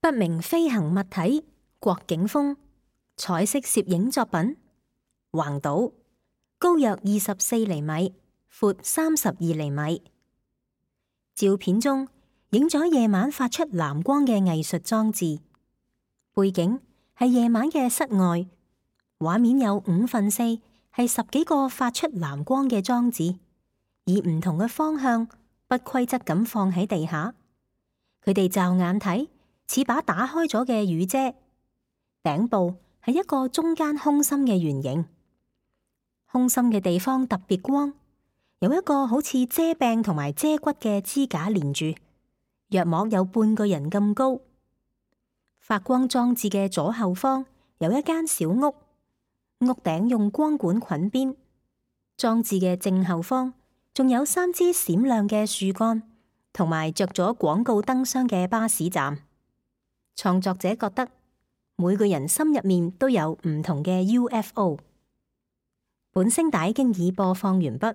不明飛行物體郭景峰彩色攝影作品。橫島，高約24厘米，闊32厘米。照片中影咗夜晚發出藍光嘅藝術裝置，背景係夜晚嘅室外，畫面有4/5係10幾個發出藍光嘅裝置，以唔同嘅方向不規則咁放喺地下。佢哋驟眼睇似把打開咗嘅雨遮，頂部係一個中間空心嘅圓形，空心嘅地方特別光，有一個好似遮柄同埋遮骨嘅支架連住，約莫有半個人咁高。發光裝置嘅左後方有一間小屋，屋頂用光管捆邊。裝置嘅正後方仲有3支閃亮嘅樹幹，同埋着咗廣告燈箱嘅巴士站。創作者覺得每個人心入面都有唔同嘅 UFO。本聲帶經已播放完畢。